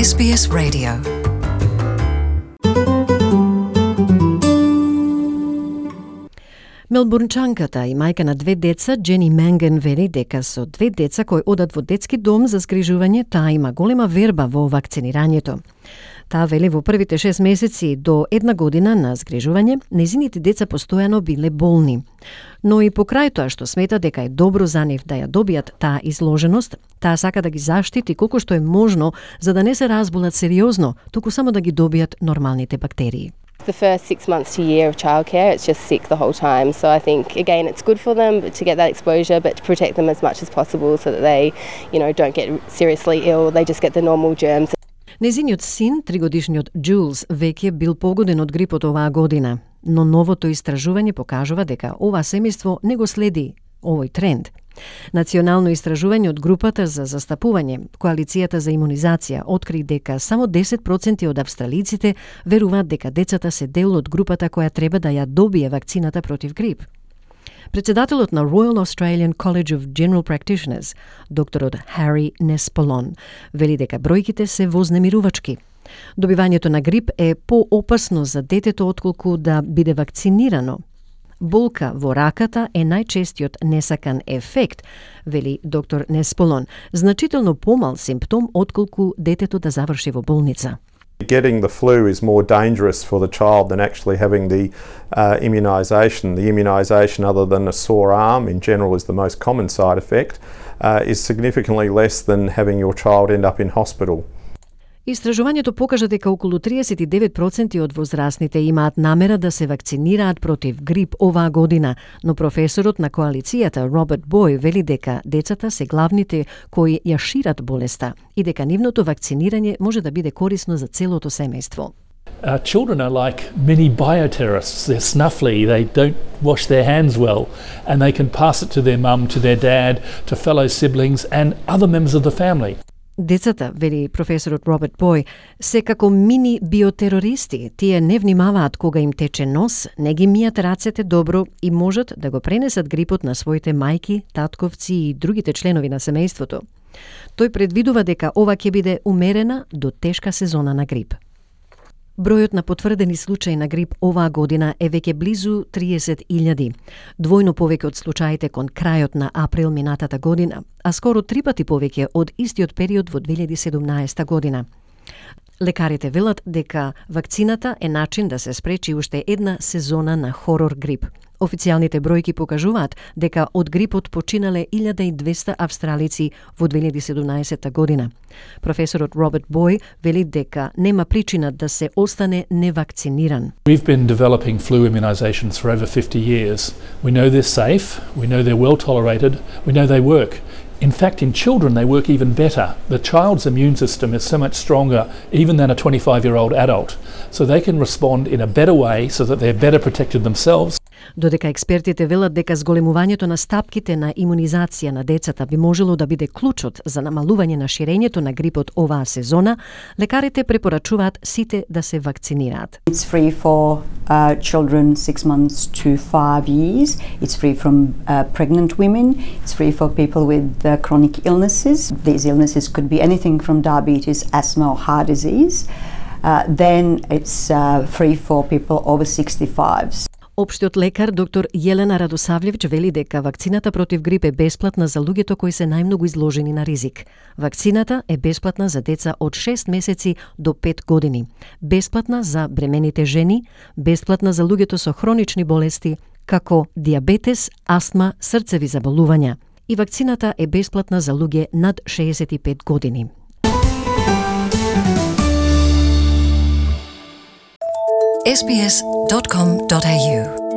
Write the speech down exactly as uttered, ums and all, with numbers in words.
Ес Би Ес Radio. Мелбурнчанката и мајка на две деца, Джени Менген, вели дека со две деца кои одат во детски дом за згрижување, таа има голема верба во вакцинирањето. Таа вели во првите шест месеци до една година на згрижување, незините деца постојано биле болни. Но и покрај тоа што смета дека е добро за нив да ја добијат таа изложеност, таа сака да ги заштити колку што е можно за да не се разболат сериозно, туку само да ги добијат нормалните бактерии. The first six months to a year of childcare, it's just sick the whole time. So I think, again, it's good for them to get that exposure, but to protect them as much as possible so that they, you know, don't get seriously ill. They just get the normal germs. Незиниот син, тригодишниот Джулс, веќе бил погоден од грипот оваа година, но новото истражување покажува дека ова семејство не го следи овој тренд. Национално истражување од групата за застапување, Коалицијата за имунизација, откри дека само десет проценти од австралиците веруваат дека децата се дел од групата која треба да ја добие вакцината против грип. Председателот на Royal Australian College of General Practitioners, докторот Хари Несполон, вели дека бројките се вознемирувачки. Добивањето на грип е поопасно за детето отколку да биде вакцинирано. Болка во раката е најчестиот несакан ефект, вели доктор Несполон, значително помал симптом отколку детето да заврши во болница. Getting the flu is more dangerous for the child than actually having the uh, immunisation. The immunisation, other than a sore arm, in general is the most common side effect, uh, is significantly less than having your child end up in hospital. Истражувањето покажа дека околу триесет и девет проценти од возрастните имаат намера да се вакцинираат против грип оваа година, но професорот на коалицијата Роберт Бој вели дека децата се главните кои ја шират болеста и дека нивното вакцинирање може да биде корисно за целото семејство. Uh, children are like mini bioterrorists. They're snuffly, they don't wash their hands well, and they can pass it to their mum, to their dad, to fellow siblings and other members of the family. Децата, вели професорот Роберт Бој, се како мини биотерористи. Тие не внимаваат кога им тече нос, не ги мијат рацете добро и можат да го пренесат грипот на своите мајки, татковци и другите членови на семејството. Тој предвидува дека ова ќе биде умерена до тешка сезона на грип. Бројот на потврдени случаи на грип оваа година е веќе близу триесет илјади, двојно повеќе од случаите кон крајот на април минатата година, а скоро три пати повеќе од истиот период во две илјади и седумнаесета година. Лекарите велат дека вакцината е начин да се спречи уште една сезона на хорор грип. Официјалните бројки покажуваат дека од грипот починале илјада и двесте австралици во две илјади и седумнаесета година. Професорот Роберт Бој вели дека нема причина да се остане невакциниран. We've been developing flu immunisations for over fifty years. We know they're safe, we know they're well tolerated, we know they work. In fact, in children they work even better. The child's immune system is so much stronger even than a twenty-five-year-old adult. So they can respond in a better way so that they're better protected themselves. Додека експертите велат дека зголемувањето на стапките на имунизација на децата би можело да биде клучот за намалување на ширењето на грипот оваа сезона, лекарите препорачуваат сите да се вакцинираат. It's free for uh, children six months to five years. It's free from uh, pregnant women. It's free for people with uh, chronic illnesses. These illnesses could be anything from diabetes, asthma or heart disease. Uh, then it's uh, free for people over sixty-fives. Општиот лекар доктор Јелена Радосавлевич вели дека вакцината против грип е бесплатна за луѓето кои се најмногу изложени на ризик. Вакцината е бесплатна за деца од шест месеци до пет години, бесплатна за бремените жени, бесплатна за луѓето со хронични болести, како диабетес, астма, срцеви заболувања. И вакцината е бесплатна за луѓе над шеесет и пет години. ес би ес dot com dot a u